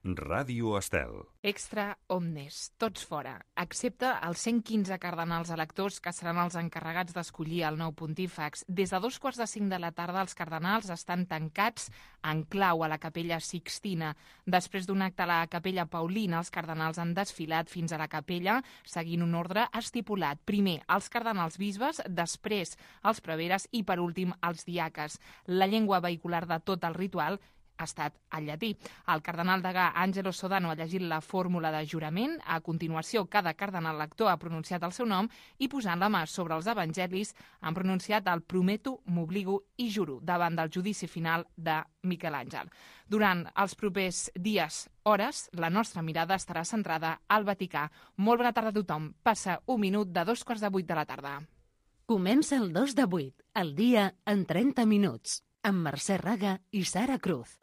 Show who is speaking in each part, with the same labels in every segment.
Speaker 1: Ràdio Estel.
Speaker 2: Extra omnes, tots fora, excepte els 115 cardenals electors que seran els encarregats d'escollir el nou pontífex. Des de 2:45 de la tarda els cardenals estan tancats en clau a la capella Sixtina. Després d'un acte a la capella Paulina, els cardenals han desfilat fins a la capella seguint un ordre estipulat. Primer, els cardenals bisbes, després els preveres i, per últim, els diaques. La llengua vehicular de tot el ritual ha estat el llatí. El cardenal degà Angelo Sodano ha llegit la fórmula de jurament. A continuació, cada cardenal lector ha pronunciat el seu nom i, posant la mà sobre els evangelis, han pronunciat el prometo, m'obligo i juro davant del judici final de Miquel Àngel. Durant els propers dies, hores, la nostra mirada estarà centrada al Vaticà. Molt bona tarda a tothom. Passa un minut de 7:45 de la tarda.
Speaker 3: Comença el 2 de 8, el dia en 30 minuts, amb Mercè Raga i Sara Cruz.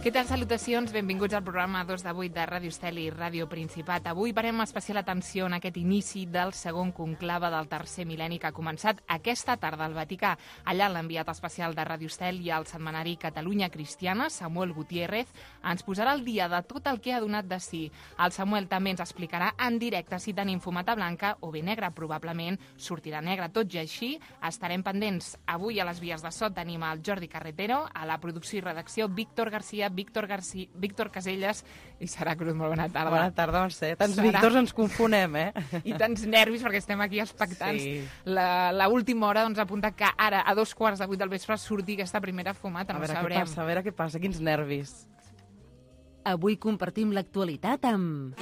Speaker 2: Què tal? Salutacions, benvinguts al programa 2 de 8 de Ràdio Estel i Ràdio Principat. Avui parem especial atenció en aquest inici del segon conclave del tercer mil·lenni que ha començat aquesta tarda al Vaticà. Allà l'enviat especial de Ràdio Estel i el setmanari Catalunya Cristiana, Samuel Gutiérrez, ens posarà al dia de tot el que ha donat de si. El Samuel també ens explicarà en directe si tenim fumata blanca o bé negra. Probablement sortirà negra. Tot i així, estarem pendents. Avui a les vies de so tenim el Jordi Carretero, a la producció i redacció Víctor Caselles i Sara Cruz. Molt bona tarda.
Speaker 4: Bona tarda, Mercè. Tants Víctors ens confonem,
Speaker 2: I tants nervis perquè estem aquí expectants.
Speaker 4: Sí.
Speaker 2: La última hora apunta que ara, a 7:45 del vespre, surti aquesta primera fumata.
Speaker 4: A veure què passa, quins nervis.
Speaker 3: Avui compartim l'actualitat amb...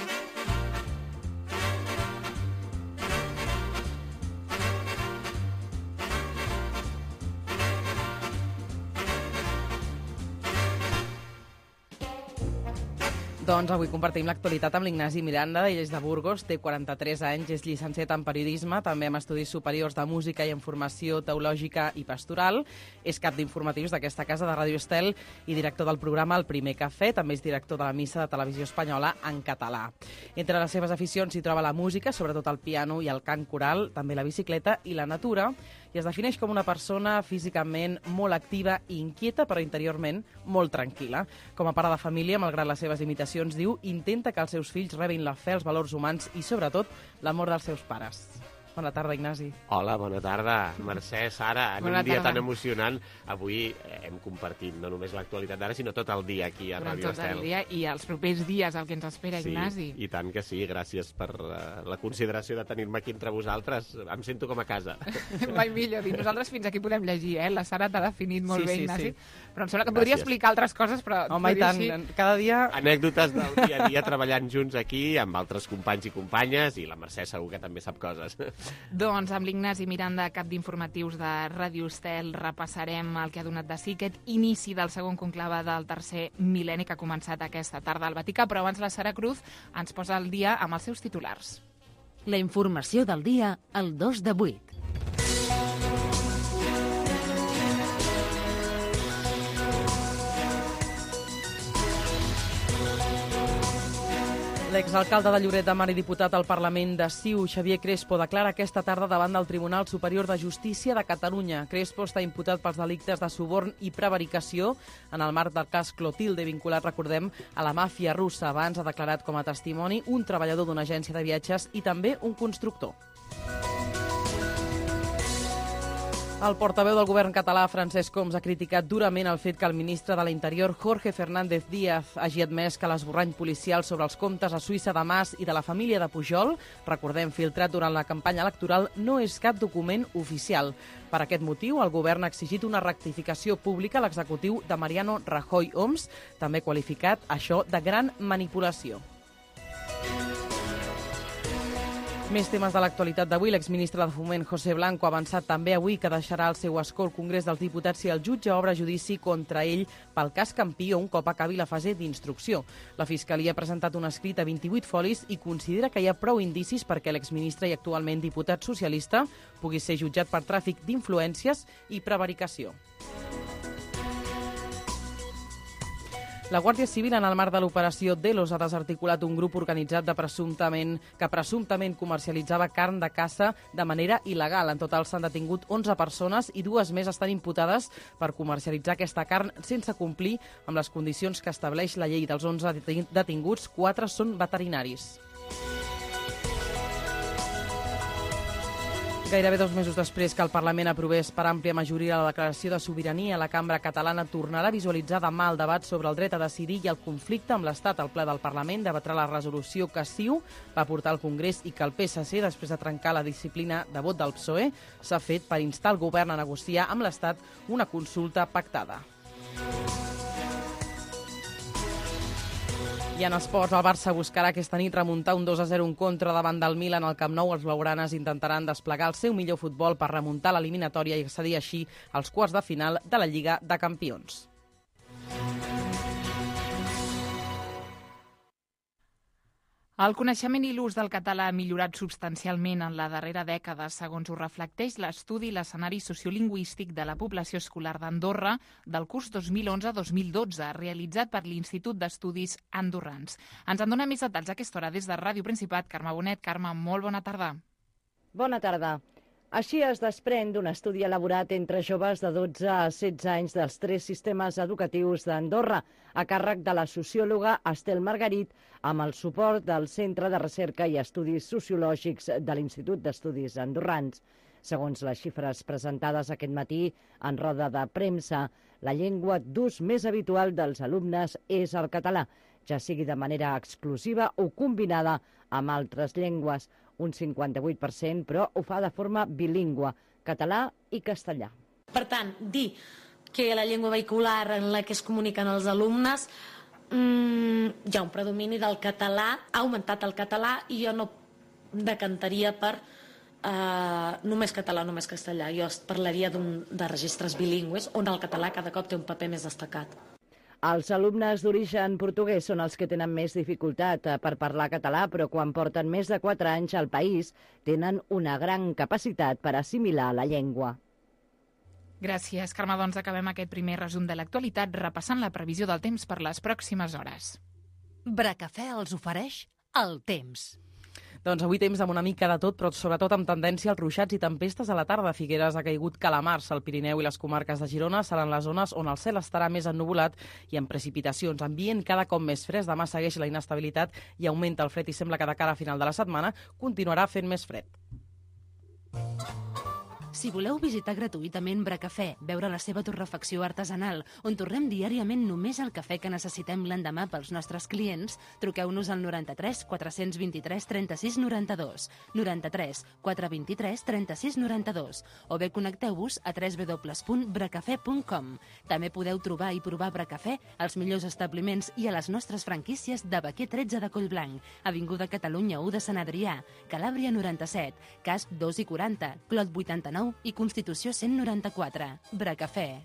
Speaker 4: Doncs avui compartim l'actualitat amb l'Ignasi Miranda, ell és de Burgos, té 43 anys, és llicenciat en periodisme, també amb estudis superiors de música i en formació teològica i pastoral, és cap d'informatius d'aquesta casa de Ràdio Estel i director del programa El Primer Cafè, també és director de la missa de Televisió Espanyola en català. Entre les seves aficions s'hi troba la música, sobretot el piano i el cant coral, també la bicicleta i la natura, i es defineix com una persona físicament molt activa i inquieta, però interiorment molt tranquil·la. Com a pare de família, malgrat les seves limitacions, diu, intenta que els seus fills rebin la fe, els valors humans i, sobretot, l'amor dels seus pares. Bona tarda, Ignasi.
Speaker 5: Hola, bona tarda. Mercè, Sara, en un dia tan emocionant, avui hem compartit no només l'actualitat d'ara, sinó tot el dia aquí a Ràdio Estel.
Speaker 2: Tot el dia i els propers dies, el que ens espera, Ignasi.
Speaker 5: Sí, i tant que sí. Gràcies per la consideració de tenir-me aquí entre vosaltres. Em sento com a casa.
Speaker 2: Mai millor dir. Nosaltres fins aquí podem llegir, La Sara t'ha definit molt bé, Ignasi.
Speaker 4: Sí.
Speaker 2: Però em sembla que podria explicar altres coses, però...
Speaker 4: Home, i tant, cada dia...
Speaker 5: Anècdotes del dia a dia treballant junts aquí, amb altres companys i companyes, i la Mercè segur que també sap coses.
Speaker 2: Doncs amb l'Ignasi Miranda, cap d'informatius de Ràdio Estel, repassarem el que ha donat de si aquest inici del segon conclave del tercer mil·lenni que ha començat aquesta tarda al Vaticà, però abans la Sara Cruz ens posa al dia amb els seus titulars.
Speaker 3: La informació del dia al 2 de 8.
Speaker 4: L'exalcalde de Lloret de Mar i diputat al Parlament de CiU, Xavier Crespo, declara aquesta tarda davant del Tribunal Superior de Justícia de Catalunya. Crespo està imputat pels delictes de suborn i prevaricació en el marc del cas Clotilde, vinculat, recordem, a la màfia russa. Abans ha declarat com a testimoni un treballador d'una agència de viatges i també un constructor. El portaveu del govern català, Francesc Homs, ha criticat durament el fet que el ministre de l'Interior, Jorge Fernández Díaz, hagi admès que l'esborrany policial sobre els comptes a Suïssa de Mas i de la família de Pujol, recordem, filtrat durant la campanya electoral, no és cap document oficial. Per aquest motiu, el govern ha exigit una rectificació pública a l'executiu de Mariano Rajoy. Homs també ha qualificat això de gran manipulació. Més temes de l'actualitat d'avui. L'exministre de Foment, José Blanco, ha avançat també avui que deixarà el seu escó al Congrés dels Diputats si el jutge obre judici contra ell pel cas Campió un cop acabi la fase d'instrucció. La Fiscalia ha presentat un escrit a 28 folis i considera que hi ha prou indicis perquè l'exministre i actualment diputat socialista pugui ser jutjat per tràfic d'influències i prevaricació. La Guàrdia Civil, en el marc de l'operació Delos, ha desarticulat un grup organitzat que presumptament comercialitzava carn de caça de manera il·legal. En total s'han detingut 11 persones i 2 més estan imputades per comercialitzar aquesta carn sense complir amb les condicions que estableix la llei. Dels 11 detinguts, 4 són veterinaris. Gairebé 2 mesos després que el Parlament aprovés per àmplia majoria la declaració de sobirania, la cambra catalana tornarà a visualitzar demà el debat sobre el dret a decidir i el conflicte amb l'Estat. El ple del Parlament debatrà la resolució que CiU va portar al Congrés i que el PSC, després de trencar la disciplina de vot del PSOE, s'ha fet per instar el govern a negociar amb l'Estat una consulta pactada. I en esports, el Barça buscarà aquesta nit remuntar un 2-0 en contra davant del Milan al Camp Nou. Els blaugranes intentaran desplegar el seu millor futbol per remuntar l'eliminatòria i accedir així als quarts de final de la Lliga de Campions.
Speaker 2: El coneixement i l'ús del català ha millorat substancialment en la darrera dècada, segons ho reflecteix l'estudi L'escenari sociolingüístic de la població escolar d'Andorra del curs 2011-2012, realitzat per l'Institut d'Estudis Andorrans. Ens en dona més detalls a aquesta hora des de Ràdio Principat. Carme Bonet. Carme, molt bona tarda.
Speaker 1: Bona tarda. Així es desprèn d'un estudi elaborat entre joves de 12 a 16 anys dels 3 sistemes educatius d'Andorra, a càrrec de la sociòloga Estel Margarit, amb el suport del Centre de Recerca i Estudis Sociològics de l'Institut d'Estudis Andorrans. Segons les xifres presentades aquest matí en roda de premsa, la llengua d'ús més habitual dels alumnes és el català, ja sigui de manera exclusiva o combinada amb altres llengües. Un 58%, però ho fa de forma bilingüe, català i castellà.
Speaker 6: Per tant, dir que la llengua vehicular en la que es comuniquen els alumnes hi ha un predomini del català, ha augmentat el català i jo no decantaria per només català, només castellà. Jo parlaria de registres bilingües on el català cada cop té un paper més destacat.
Speaker 1: Els alumnes d'origen portuguès són els que tenen més dificultat per parlar català, però quan porten més de 4 anys al país tenen una gran capacitat per assimilar la llengua.
Speaker 2: Gràcies, Carme. Doncs acabem aquest primer resum de l'actualitat repassant la previsió del temps per les pròximes hores.
Speaker 3: Bracafè els ofereix el temps.
Speaker 4: Doncs avui temps amb una mica de tot, però sobretot amb tendència als ruixats i tempestes a la tarda. Figueres ha caigut calamars. El Pirineu i les comarques de Girona seran les zones on el cel estarà més ennuvolat i amb precipitacions. Ambient cada cop més fresc. Demà segueix la inestabilitat i augmenta el fred i sembla que de cara a final de la setmana continuarà fent més fred.
Speaker 3: Si voleu visitar gratuïtament Bracafè, veure la seva torrefacció artesanal, on torrem diàriament només el cafè que necessitem l'endemà pels nostres clients, truqueu-nos al 93 423 36 92, 93 423 36 92, o bé connecteu-vos a www.bracafè.com. També podeu trobar i provar Bracafè als millors establiments i a les nostres franquícies de Baquer 13 de Collblanc, Avinguda Catalunya 1 de Sant Adrià, Calàbria 97, Casp 2 i 40, Clot 89 i Constitució 194. Bracafè.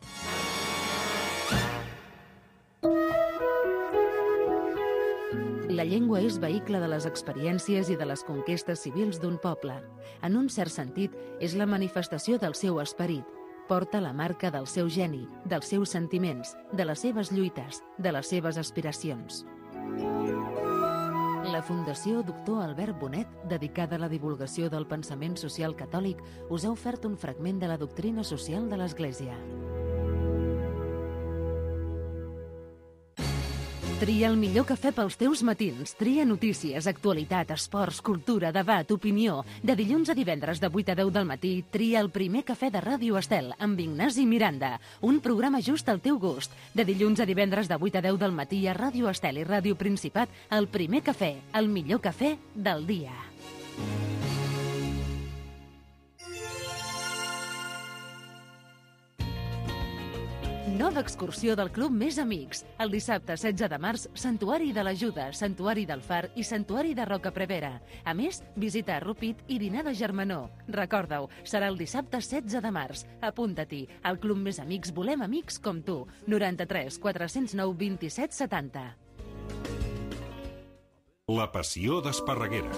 Speaker 3: La llengua és vehicle de les experiències i de les conquestes civils d'un poble. En un cert sentit, és la manifestació del seu esperit. Porta la marca del seu geni, dels seus sentiments, de les seves lluites, de les seves aspiracions. La Fundació Doctor Albert Bonet, dedicada a la divulgació del pensament social catòlic, us ha ofert un fragment de la doctrina social de l'Església. Tria el millor cafè pels teus matins. Tria notícies, actualitat, esports, cultura, debat, opinió. De dilluns a divendres de 8 a 10 del matí, tria el primer cafè de Ràdio Estel amb Ignasi Miranda. Un programa just al teu gust. De dilluns a divendres de 8 a 10 del matí a Ràdio Estel i Ràdio Principat, el primer cafè, el millor cafè del dia. Nova excursió del Club Més Amics. El dissabte 16 de març, Santuari de l'Ajuda, Santuari del Far i Santuari de Roca Prevera. A més, visita a Rupit i dinar de germanor. Recorda-ho, serà el dissabte 16 de març. Apunta-t'hi. Al Club Més Amics volem amics com tu. 93 409 27 70.
Speaker 7: La passió d'Esparreguera.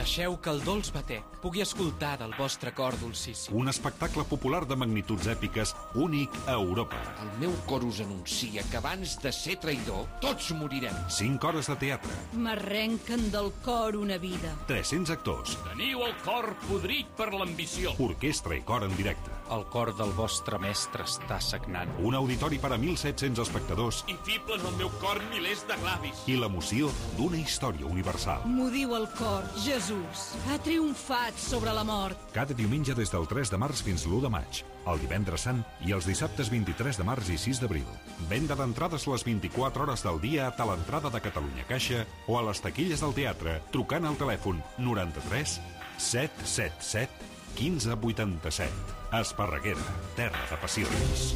Speaker 7: Deixeu que el dolç batec pugui escoltar del vostre cor dolcíssim.
Speaker 8: Un espectacle popular de magnituds èpiques únic a Europa.
Speaker 9: El meu cor us anuncia que abans de ser traïdor, tots morirem.
Speaker 8: 5 hores de teatre.
Speaker 10: M'arrenquen del cor una vida.
Speaker 8: 300 actors.
Speaker 11: Teniu el cor podrit per l'ambició.
Speaker 8: Orquestra i cor en directe.
Speaker 7: El cor del vostre mestre està sagnant.
Speaker 8: Un auditori per a 1.700 espectadors.
Speaker 11: I fiblen al meu cor milers de glavis.
Speaker 8: I l'emoció d'una història universal.
Speaker 10: M'ho diu el cor, Jesús. Ha triomfat sobre la mort.
Speaker 8: Cada diumenge des del 3 de març fins l'1 de maig. El divendres sant i els dissabtes 23 de març i 6 d'abril. Venda d'entrades les 24 hores del dia a l'entrada de Catalunya Caixa o a les taquilles del teatre trucant al telèfon 93 777 1587. Esparreguera, terra de passions.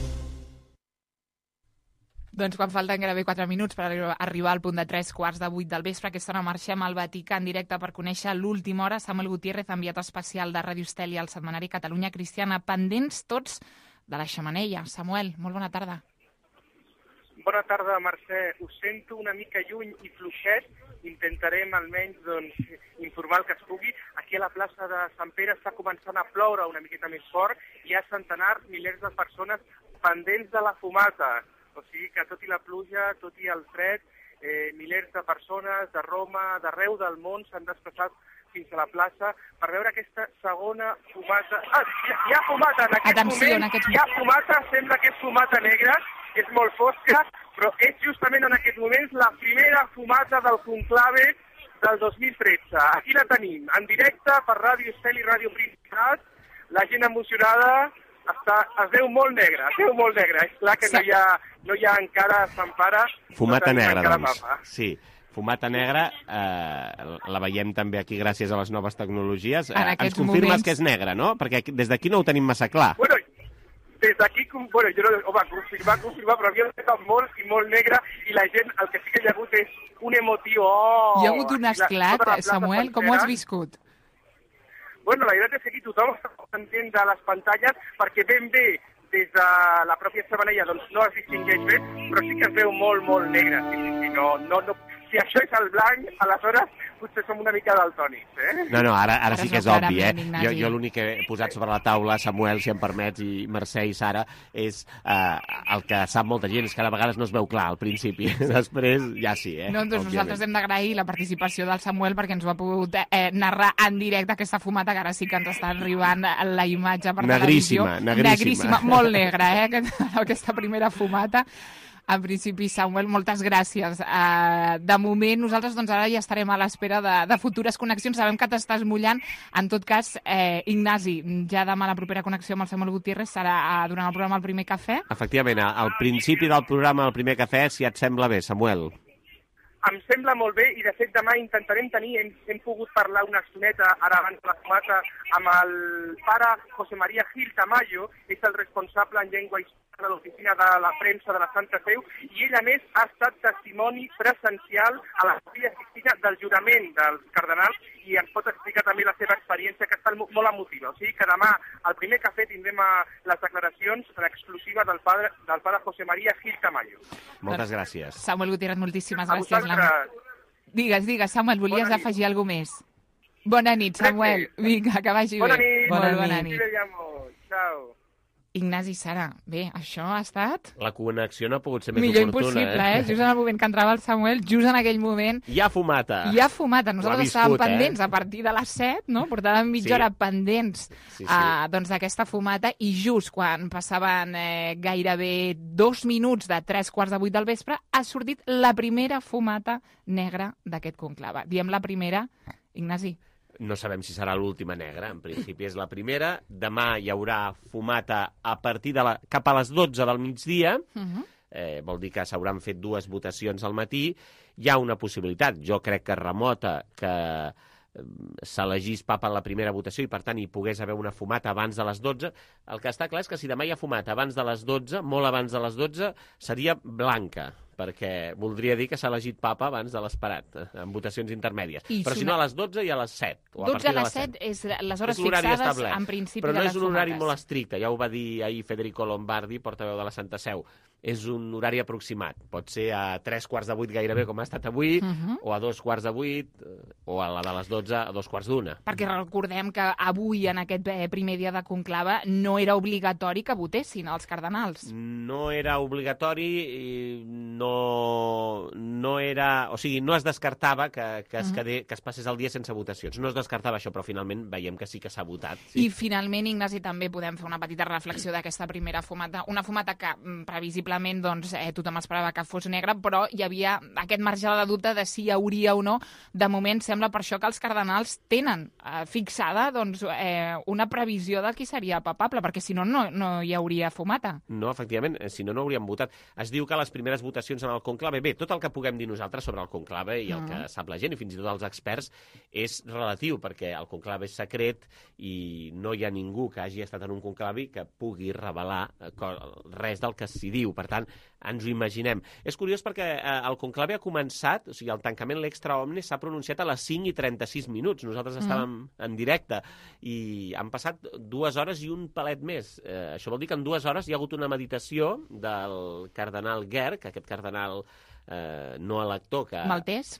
Speaker 2: Doncs quan falten gairebé 4 minuts per arribar al punt de 7:45 del vespre, aquesta hora marxem al Vaticà en directe per conèixer l'última hora. Samuel Gutiérrez, enviat especial de Ràdio Estel i al setmanari Catalunya Cristiana, pendents tots de la xemeneia. Samuel, molt bona tarda.
Speaker 12: Bona tarda, Mercè. Us sento una mica lluny i fluixet. Intentarem almenys informar el que es pugui. Aquí a la plaça de Sant Pere està començant a ploure una miqueta més fort. Hi ha centenars, milers de persones pendents de la fumata. O sigui que tot i la pluja, tot i el fred, milers de persones de Roma, d'arreu del món s'han desplaçat fins a la plaça per veure aquesta segona fumata. Hi ha fumata en aquest moment. Hi ha fumata, sembla que és fumata negra, és molt fosca, però és justament en aquest moment la primera fumata del conclave del 2013. Aquí la tenim, en directe per Ràdio Estel i Ràdio Principat. La gent emocionada es veu molt negra, És clar que no hi ha encara Sant Pare.
Speaker 5: Fumata negra, doncs. Sí. Fumata negra, la veiem també aquí gràcies a les noves tecnologies. Ens confirmes que és negra, no? Perquè des d'aquí no ho tenim massa clar.
Speaker 12: Bueno, des d'aquí, jo no va confirmar, però havia estat molt i molt negra i la gent, el que sí que hi ha hagut és un emotiu.
Speaker 2: Hi ha hagut un esclat, Samuel, com ho has viscut?
Speaker 12: Bueno, la veritat és que aquí tothom està content de les pantalles perquè ben bé des de la pròpia xemeneia doncs no es distingeix bé, però sí que es veu molt, molt negra. Si això és el blanc, aleshores potser som una mica daltònics,
Speaker 5: No, ara sí que és obvi, Jo l'únic que he posat sobre la taula, Samuel, si em permets, i Mercè i Sara, és el que sap molta gent, és que a vegades no es veu clar al principi. Després ja sí,
Speaker 2: No, doncs nosaltres hem d'agrair la participació del Samuel perquè ens ho ha pogut narrar en directe aquesta fumata, que ara sí que ens està arribant la imatge per televisió. Negríssima, molt negra, aquesta primera fumata. En principi, Samuel, moltes gràcies. De moment, nosaltres ara ja estarem a l'espera de futures connexions. Sabem que t'estàs mullant. En tot cas, Ignasi, ja demà la propera connexió amb el Samuel Gutiérrez serà durant el programa El Primer Cafè?
Speaker 5: Efectivament, al principi del programa El Primer Cafè, si et sembla bé, Samuel.
Speaker 12: Em sembla molt bé i, de fet, demà intentarem tenir, hem pogut parlar una estoneta, ara abans de la fumata, amb el pare José María Gil Tamayo, és el responsable en llengua històrica de l'oficina de la premsa de la Santa Seu, i ell, a més, ha estat testimoni presencial a la Capella Sixtina del jurament dels cardenals i ens pot explicar també la seva experiència, que està molt emotiva. O sigui que demà, al Primer Cafè, tindrem les declaracions en exclusiva del pare José María Gil Tamayo.
Speaker 5: Moltes gràcies.
Speaker 2: Samuel Gutiérrez, moltíssimes gràcies. Digues, Samuel, volies afegir alguna més? Bona nit, Samuel. Vinga, que vagi bé.
Speaker 12: Bona nit. Ciao.
Speaker 2: Ignasi, Sara, bé, això ha estat...
Speaker 5: La connexió no ha pogut ser més
Speaker 2: millor
Speaker 5: oportuna.
Speaker 2: Millor impossible, Just en el moment que entrava el Samuel, just en aquell moment...
Speaker 5: Hi ha fumata.
Speaker 2: Nosaltres estàvem pendents a partir de les 7, no? Portàvem mitja hora pendents d'aquesta fumata i just quan passaven gairebé 2 minuts de 7:45 del vespre ha sortit la primera fumata negra d'aquest conclave. Diem la primera, Ignasi.
Speaker 5: No sabem si serà l'última negra, en principi és la primera. Demà hi haurà fumata a partir cap a les 12 del migdia, vol dir que s'hauran fet 2 votacions al matí. Hi ha una possibilitat, jo crec que remota, que s'elegís papa en la primera votació i per tant hi pogués haver una fumata abans de les 12. El que està clar és que si demà hi ha fumata abans de les 12, molt abans de les 12, seria blanca. perquè voldria dir que s'ha elegit papa abans de l'esperat, en votacions intermèdies. Però si no, a les 12 i a les 7.
Speaker 2: 12 a les 7 és les hores fixades en principi de les fumates.
Speaker 5: Però no és un horari molt estricte, ja ho va dir ahir Federico Lombardi, portaveu de la Santa Seu. És un horari aproximat. Pot ser a 7:45 gairebé, com ha estat avui, o a 7:45, o a la de les 12 a 2:45.
Speaker 2: Perquè recordem que avui, en aquest primer dia de conclave, no era obligatori que votessin els cardenals.
Speaker 5: No era obligatori i no era... O sigui, no es descartava que es passés el dia sense votacions. No es descartava això, però finalment veiem que sí que s'ha votat. Sí.
Speaker 2: I finalment, Ignasi, també podem fer una petita reflexió d'aquesta primera fumata. Una fumata que previsiblement tothom esperava que fos negra, però hi havia aquest marge de dubte de si hi hauria o no. De moment sembla per això que els cardenals tenen fixada una previsió de qui seria papable, perquè si no, no hi hauria fumata.
Speaker 5: No, efectivament, si no, no hauríem votat. Es diu que les primeres votacions en el conclave, bé, tot el que puguem dir nosaltres sobre el conclave i el que sap la gent, i fins i tot els experts, és relatiu, perquè el conclave és secret i no hi ha ningú que hagi estat en un conclave que pugui revelar res del que s'hi diu. Per tant, ens ho imaginem. És curiós perquè el conclave ha començat, o sigui, el tancament l'extra omnes s'ha pronunciat a les 5:36. Nosaltres estàvem en directe i han passat 2 hores i un palet més. Això vol dir que en 2 hores hi ha hagut una meditació del cardenal Gerg, aquest cardenal no elector maltès,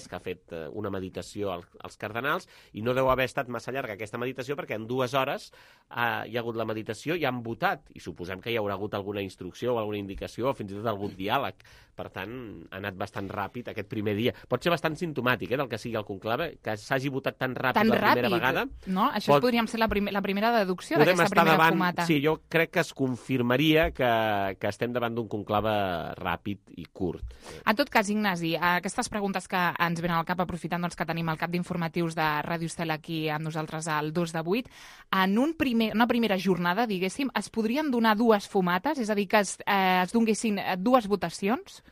Speaker 5: que ha fet una meditació als cardenals, i no deu haver estat massa llarga aquesta meditació perquè en 2 hores hi ha hagut la meditació i han votat, i suposem que hi haurà hagut alguna instrucció o alguna indicació o fins i tot algun diàleg. Per tant, ha anat bastant ràpid aquest primer dia. Pot ser bastant simptomàtic del que sigui el conclave, que s'hagi votat tan ràpid la primera vegada.
Speaker 2: No? Això podríem ser la primera deducció d'aquesta primera fumata.
Speaker 5: Sí, jo crec que es confirmaria que estem davant d'un conclave ràpid i curt.
Speaker 2: En tot cas, Ignasi, aquestes preguntes que ens venen al cap, aprofitant que tenim el cap d'informatius de Ràdio Estel aquí amb nosaltres al 2 de 8, en una primera jornada, diguéssim, es podrien donar 2 fumates? És a dir, que es donguessin 2 votacions?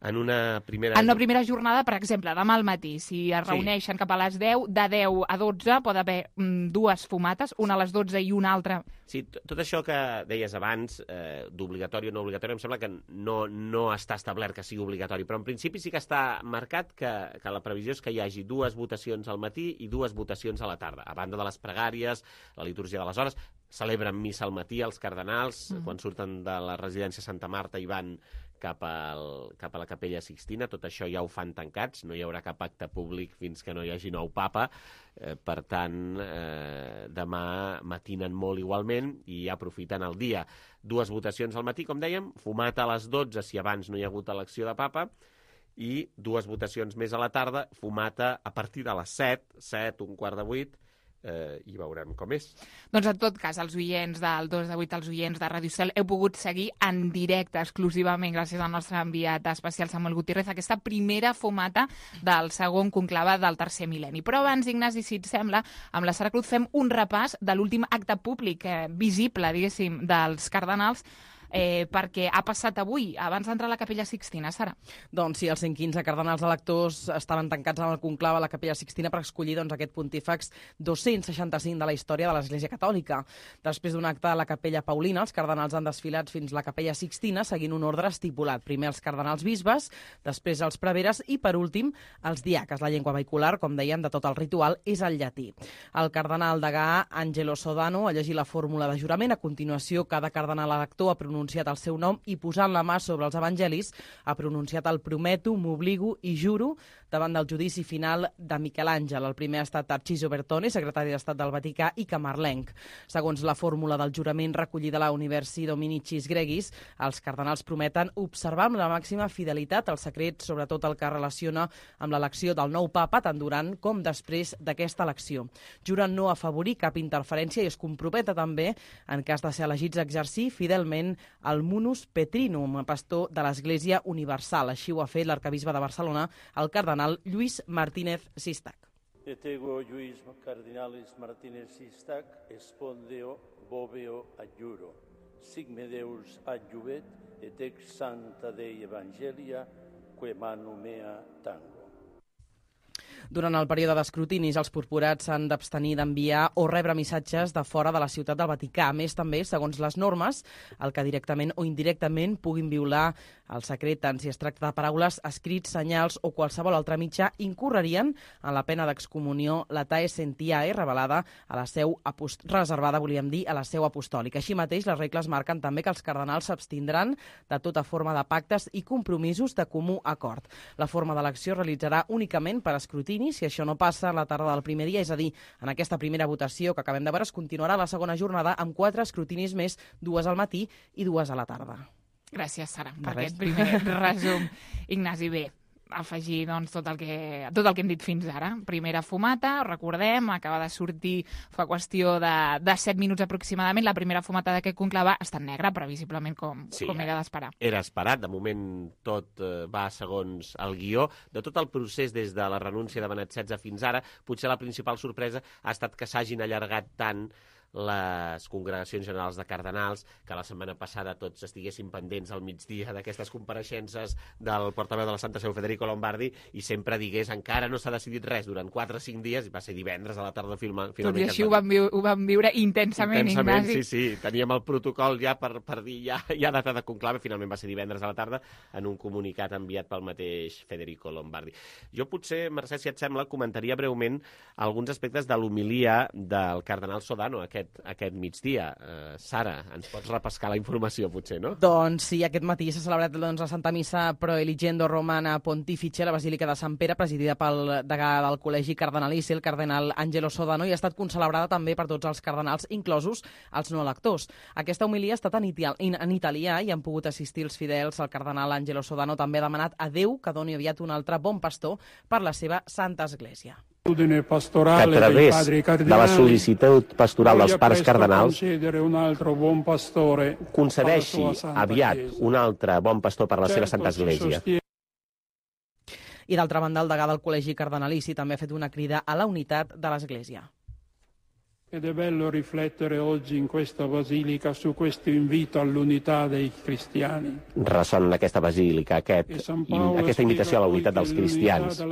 Speaker 5: En una primera
Speaker 2: jornada, per exemple, demà al matí, si es reuneixen cap a les 10, de 10 a 12 pot haver 2 fumates, una a les 12 i una altra.
Speaker 5: Sí, tot això que deies abans, d'obligatori o no obligatori, em sembla que no està establert que sigui obligatori, però en principi sí que està marcat que la previsió és que hi hagi 2 votacions al matí i 2 votacions a la tarda. A banda de les pregàries, la litúrgia de les hores, celebren missa al matí els cardenals, quan surten de la residència Santa Marta i van cap a la Capella Sixtina. Tot això ja ho fan tancats, no hi haurà cap acte públic fins que no hi hagi nou papa. Per tant, demà matinen molt igualment i aprofiten el dia. 2 votacions al matí, com dèiem, fumata a les 12 si abans no hi ha hagut elecció de papa, i 2 votacions més a la tarda, fumata a partir de les 7, 7:15, i veurem com és.
Speaker 2: Doncs en tot cas, els oients del 2 de 8, els oients de Ràdio Estel, heu pogut seguir en directe exclusivament gràcies al nostre enviat especial Samuel Gutiérrez aquesta primera fumata del segon conclave del tercer mil·lenni. Però abans, Ignasi, si et sembla, amb la Sara Cruz fem un repàs de l'últim acte públic visible, diguéssim, dels cardenals, perquè ha passat avui, abans d'entrar a la Capella Sixtina, Sara.
Speaker 4: Doncs sí, els 115 cardenals electors estaven tancats en el conclave a la Capella Sixtina per escollir aquest pontífex 265 de la història de l'Església Catòlica. Després d'un acte a la Capella Paulina, els cardenals han desfilat fins a la Capella Sixtina seguint un ordre estipulat. Primer els cardenals bisbes, després els preveres i, per últim, els diaques. La llengua vehicular, com dèiem, de tot el ritual és el llatí. El cardenal degà Angelo Sodano ha llegit la fórmula de jurament. A continuació, cada cardenal elector ha pronunciat el seu nom i, posant la mà sobre els evangelis, ha pronunciat el prometo, m'obligo i juro davant del judici final de Miquel Àngel. El primer ha estat Tarcisio Bertone, secretari d'Estat del Vaticà i camarlenc. Segons la fórmula del jurament recollida a la Universi Dominicis Gregis, els cardenals prometen observar amb la màxima fidelitat el secret, sobretot el que relaciona amb l'elecció del nou papa, tant durant com després d'aquesta elecció. Juren no afavorir cap interferència i es comprometa també, en cas de ser elegits, a exercir fidelment el munus petrinum, pastor de l'Església Universal. Així ho ha fet l'arcabisbe de Barcelona, el cardenal Lluís Martínez Sistac.
Speaker 13: Et ego Lluís Cardinalis Martínez Sistac espondeo boveo adjuro. Sigme Deus adjuvet et ex santa Dei Evangelia que manu mea tango.
Speaker 4: Durant el període d'escrutinis, els purpurats s'han d'abstenir d'enviar o rebre missatges de fora de la ciutat del Vaticà. A més, també, segons les normes, el que directament o indirectament puguin violar el secret, tant si es tracta de paraules, escrits, senyals o qualsevol altre mitjà, incorrerien en la pena d'excomunió latae sentiae, revelada a la seu reservada, volíem dir, a la seu apostòlica. Així mateix, les regles marquen també que els cardenals s'abstindran de tota forma de pactes i compromisos de comú acord. La forma d'elecció es realitzarà únicament per escrutini. Si això no passa a la tarda del primer dia, és a dir, en aquesta primera votació que acabem de veure, es continuarà la segona jornada amb 4 escrutinis més, 2 al matí i 2 a la tarda.
Speaker 2: Gràcies, Sara, per aquest primer resum. Ignasi, bé, afegir doncs, tot el que hem dit fins ara. Primera fumata, recordem, acaba de sortir fa qüestió de 7 minuts aproximadament. La primera fumata d'aquest conclave està en negre, previsiblement, com era d'esperar.
Speaker 5: Era esperat, de moment tot va segons el guió. De tot el procés des de la renúncia de Benet XVI fins ara, potser la principal sorpresa ha estat que s'hagin allargat tant les congregacions generals de cardenals, que la setmana passada tots estiguessin pendents al migdia d'aquestes compareixences del portaveu de la Santa Seu, Federico Lombardi, i sempre digués encara no s'ha decidit res durant 4 o 5 dies, i va ser divendres a la tarda finalment.
Speaker 2: Tot i així ho vam viure intensament, Ignasi.
Speaker 5: Sí, teníem el protocol ja per dir ja data de conclave, finalment va ser divendres a la tarda, en un comunicat enviat pel mateix Federico Lombardi. Jo potser, Mercè, si et sembla, comentaria breument alguns aspectes de l'homilia del cardenal Sodano aquest migdia. Sara, ens pots repescar la informació, potser, no?
Speaker 4: Doncs sí, aquest matí s'ha celebrat la Santa Missa Pro Eligendo Romana Pontifice a la Basílica de Sant Pere, presidida pel degà del Col·legi Cardenalici, el cardenal Angelo Sodano, i ha estat concelebrada també per tots els cardenals, inclosos els no electors. Aquesta homilia ha estat en italià i han pogut assistir els fidels. El cardenal Angelo Sodano també ha demanat a Déu que doni aviat un altre bon pastor per la seva Santa Església.
Speaker 14: Que a través de la sol·licitud pastoral dels pares cardenals concedeixi aviat un altre bon pastor per la seva Santa Església.
Speaker 4: I d'altra banda, el degà del Col·legi Cardenalici també ha fet una crida a la unitat de l'Església.
Speaker 14: Ed è bello riflettere oggi in questa basilica su questo invito all'unità dei cristiani.
Speaker 5: Ressona en aquesta basílica aquesta invitació a la unitat dels cristians.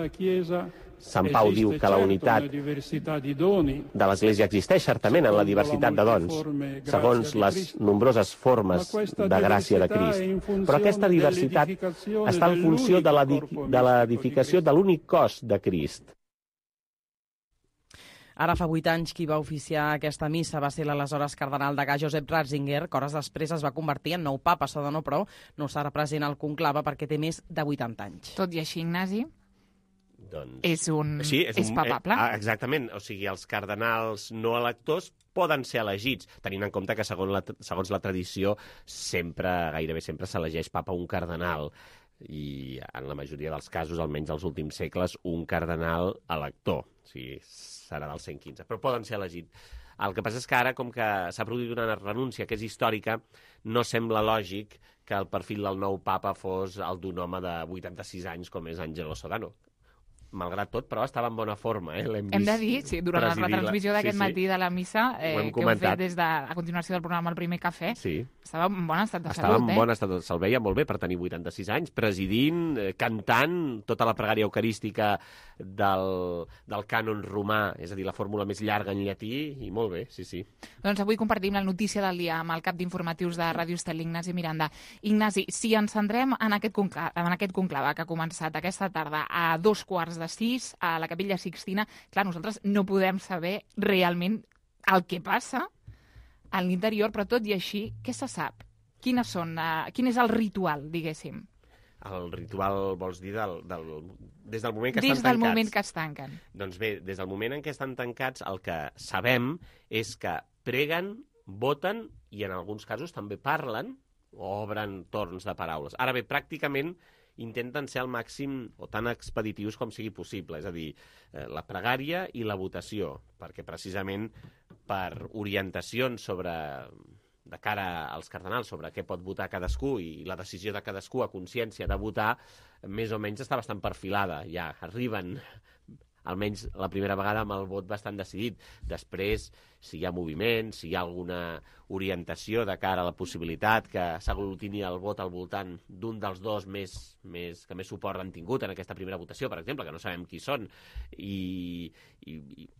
Speaker 5: Sant Pau diu que la unitat de l'Església existeix certament en la diversitat de dons, segons les nombroses formes de gràcia de Crist. Però aquesta diversitat està en funció de l'edificació de l'únic cos de Crist.
Speaker 4: Ara fa 8 anys qui va oficiar aquesta missa va ser l'aleshores cardenal degà Josep Ratzinger, que hores després es va convertir en nou papa. Sodano, però, no serà present al conclave perquè té més de 80 anys.
Speaker 2: Tot i així, Ignasi, és papable.
Speaker 5: Exactament, o sigui, els cardenals no electors poden ser elegits, tenint en compte que segons la tradició gairebé sempre s'elegeix papa un cardenal, i en la majoria dels casos, almenys dels últims segles, un cardenal elector, o sigui, serà del 115, però poden ser elegits. El que passa és que ara, com que s'ha produït una renúncia que és històrica, no sembla lògic que el perfil del nou papa fos el d'un home de 86 anys com és Angelo Sodano. Malgrat tot, però estava en bona forma. Hem
Speaker 2: de dir, sí, durant la transmissió d'aquest matí de la missa, que heu fet des de a continuació del programa El Primer Cafè, estava en bon estat de salut.
Speaker 5: Estava en bon estat de salut, se'l veia molt bé per tenir 86 anys, presidint, cantant tota la pregària eucarística del cànon romà, és a dir, la fórmula més llarga en llatí, i molt bé, sí.
Speaker 2: Doncs avui compartim la notícia del dia amb el cap d'informatius de Ràdio Estel, Ignasi Miranda. Ignasi, si ens centrem en aquest conclave que ha començat aquesta tarda a 5:45 a la Capella Sixtina, clar, nosaltres no podem saber realment el que passa a l'interior, però tot i així, què se sap? Quin és el ritual, diguéssim?
Speaker 5: El ritual, vols dir, des del moment que estan tancats?
Speaker 2: Des del moment que es tanquen.
Speaker 5: Doncs bé, des del moment en què estan tancats, el que sabem és que preguen, voten i en alguns casos també parlen o obren torns de paraules. Ara bé, pràcticament intenten ser al màxim o tan expeditius com sigui possible, és a dir, la pregària i la votació, perquè precisament per orientacions de cara als cardenals sobre què pot votar cadascú i la decisió de cadascú a consciència de votar, més o menys està bastant perfilada. Ja arriben almenys la primera vegada amb el vot bastant decidit. Després, si hi ha moviment, si hi ha alguna orientació de cara a la possibilitat que s'aglutini el vot al voltant d'un dels dos que més suport han tingut en aquesta primera votació, per exemple, que no sabem qui són,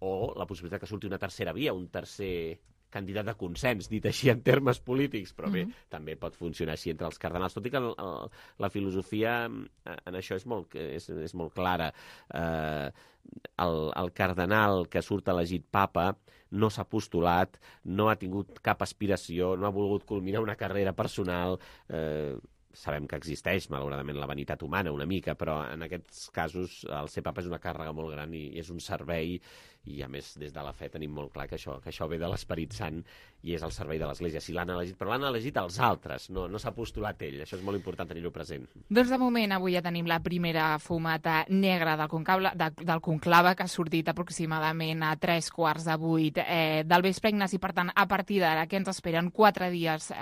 Speaker 5: o la possibilitat que surti una tercera via, un tercer candidat de consens, dit així en termes polítics, però bé, també pot funcionar així entre els cardenals, tot i que la filosofia en això és molt clara. El cardenal que surt elegit papa no s'ha postulat, no ha tingut cap aspiració, no ha volgut culminar una carrera personal. Sabem que existeix, malauradament, la vanitat humana una mica, però en aquests casos el ser papa és una càrrega molt gran i és un servei, i a més des de la fe tenim molt clar que això ve de l'Esperit Sant i és el servei de l'Església. Si l'han elegit, però l'han elegit els altres, no s'ha postulat ell. Això és molt important tenir-ho present.
Speaker 2: Doncs de moment avui ja tenim la primera fumata negra del conclave, que ha sortit aproximadament a 7:45 del vespre, Ignasi. Per tant, a partir d'ara, que ens esperen 4 dies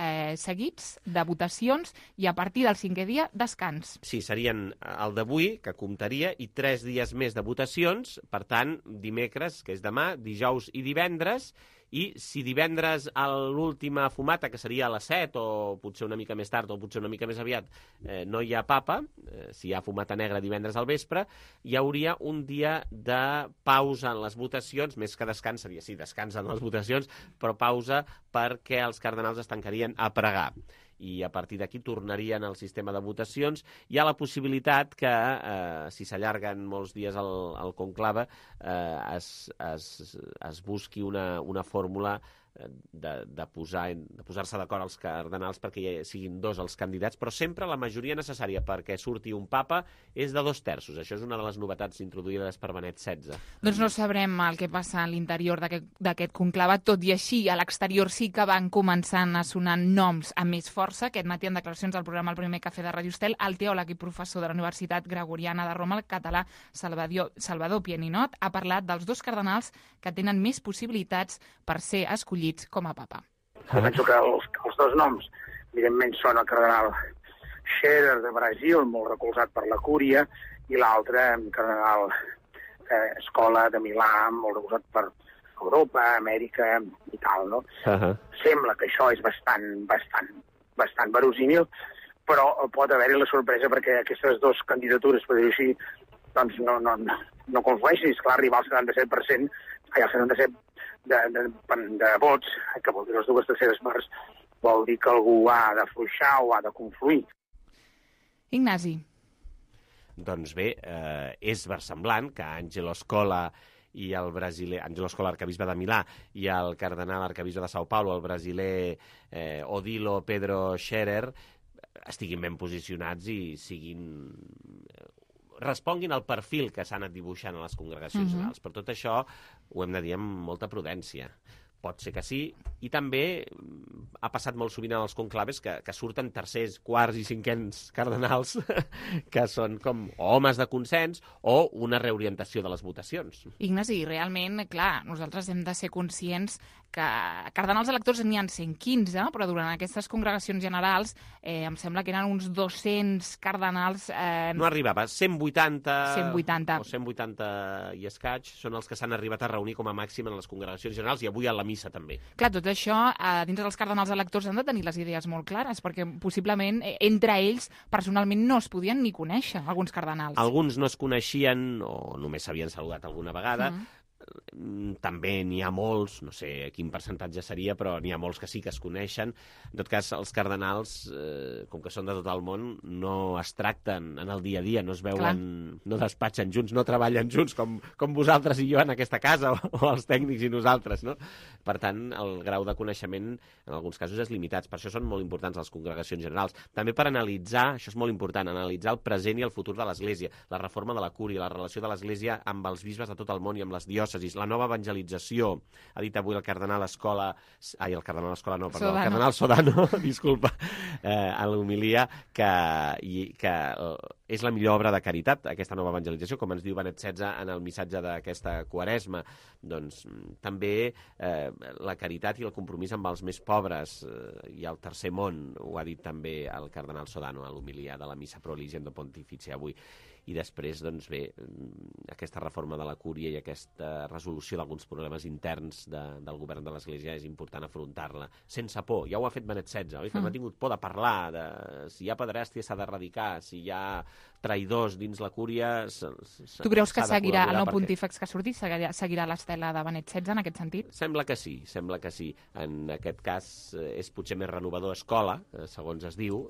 Speaker 2: seguits de votacions i a partir del 5è dia, descans.
Speaker 5: Sí, serien el d'avui, que comptaria, i 3 dies més de votacions, per tant, dimecres, que és demà, dijous i divendres, i si divendres a l'última fumata, que seria a les 7 o potser una mica més tard o potser una mica més aviat, no hi ha papa, si hi ha fumata negra divendres al vespre, hi hauria un dia de pausa en les votacions, més que descans, seria sí, descans en les votacions, però pausa perquè els cardenals es tancarien a pregar. I a partir d'aquí tornarien al sistema de votacions. Hi ha la possibilitat que, si s'allarguen molts dies el conclave, es busqui una fórmula de posar-se d'acord els cardenals perquè siguin 2 els candidats, però sempre la majoria necessària perquè surti un papa és de 2/3. Això és una de les novetats introduïdes per Benet XVI.
Speaker 2: Doncs no sabrem el que passa a l'interior d'aquest conclave, tot i així a l'exterior sí que van començant a sonar noms amb més força. Aquest matí en declaracions al programa El Primer Cafè de Radio Estel, el teòleg i professor de la Universitat Gregoriana de Roma, el català Salvador Pieninot, ha parlat dels 2 cardenals que tenen més possibilitats per ser escollits com a papa.
Speaker 15: Jo penso que els 2 noms, evidentment, són el cardenal Scherer de Brasil, molt recolzat per la cúria, i l'altre, el cardenal Scola de Milà, molt recolzat per Europa, Amèrica i tal, no? Sembla que això és bastant verosímil, però pot haver-hi la sorpresa perquè aquestes 2 candidatures, per dir-ho així, doncs no conflueixin. És clar, arribar al 77%, al 77% de vots, que vol dir les 2/3 parts, vol dir que algú ha d'afluixar o ha de confluir.
Speaker 2: Ignasi.
Speaker 5: Doncs bé, és versemblant que Angelo Scola i el brasiler, Angelo Scola, arcabisbe de Milà, i el cardenal arcabisbe de São Paulo, el brasiler Odilo Pedro Scherer, estiguin ben posicionats i responguin al perfil que s'ha anat dibuixant a les congregacions generals. Per tot això ho hem de dir amb molta prudència. Pot ser que sí, i també ha passat molt sovint en els conclaves que surten tercers, quarts i cinquens cardenals que són com homes de consens o una reorientació de les votacions.
Speaker 2: Ignasi, realment, clar, nosaltres hem de ser conscients que cardenals electors n'hi ha 115, però durant aquestes congregacions generals em sembla que eren uns 200 cardenals...
Speaker 5: No arribava, 180
Speaker 2: o
Speaker 5: 180 i escaig són els que s'han arribat a reunir com a màxim en les congregacions generals i avui a la missa també.
Speaker 2: Clar, tot això, dins dels cardenals electors han de tenir les idees molt clares, perquè possiblement entre ells personalment no es podien ni conèixer, alguns cardenals.
Speaker 5: Alguns no es coneixien o només s'havien saludat alguna vegada. També n'hi ha molts, no sé quin percentatge seria, però n'hi ha molts que sí que es coneixen. En tot cas, els cardenals, com que són de tot el món, no es tracten en el dia a dia, no es veuen, no despatxen junts, no treballen junts, com vosaltres i jo en aquesta casa, o els tècnics i nosaltres, no? Per tant, el grau de coneixement en alguns casos és limitat. Per això són molt importants les congregacions generals. També per analitzar, això és molt important, analitzar el present i el futur de l'Església, la reforma de la cúria, la relació de l'Església amb els bisbes de tot el món i amb les diòcesis, la nova evangelització. Ha dit avui el cardenal Scola, el cardenal Sodano, disculpa, a l'homilia, que és la millor obra de caritat, aquesta nova evangelització, com ens diu Benet XVI en el missatge d'aquesta Quaresma. Doncs també la caritat i el compromís amb els més pobres i el tercer món, ho ha dit també el cardenal Sodano a l'homilia de la Missa Pro Eligendo Pontificia avui. i després, doncs bé, aquesta reforma de la Cúria i aquesta resolució d'alguns problemes interns del govern de l'Església és important afrontar-la sense por. Ja ho ha fet Benet XVI, oi? Que no ha tingut por de parlar de si hi ha pederàstia s'ha d'erradicar, si hi ha traïdors dins la Cúria...
Speaker 2: Tu creus que seguirà el nou pontífex que ha sortit? Seguirà l'estela de Benet XVI en aquest sentit?
Speaker 5: Sembla que sí, sembla que sí. En aquest cas és potser més renovador Escola, segons es diu,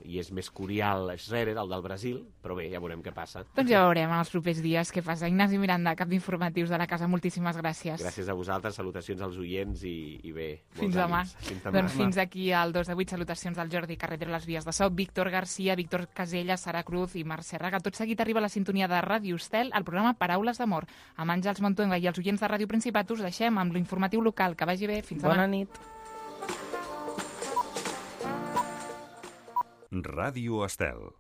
Speaker 5: i és més curial Schrerer, el del Brasil, però bé, ja veurem què passa.
Speaker 2: Doncs ja veurem en els propers dies què passa. Ignasi Miranda, cap d'informatius de la casa, moltíssimes gràcies.
Speaker 5: Gràcies a vosaltres, salutacions als oients i bé,
Speaker 2: fins demà. Doncs fins aquí al 2 de 8, salutacions del Jordi Carretero a les vies de so, Víctor Garcia, Víctor Casella, Sara Cruz i Marc Serraga. Tot seguit arriba a la sintonia de Ràdio Estel, el programa Paraules d'Amor. Amb Àngels Montuenga i els oients de Ràdio Principat us deixem amb l'informatiu local. Que vagi bé. Fins demà.
Speaker 4: Bona nit.
Speaker 8: Ràdio Estel.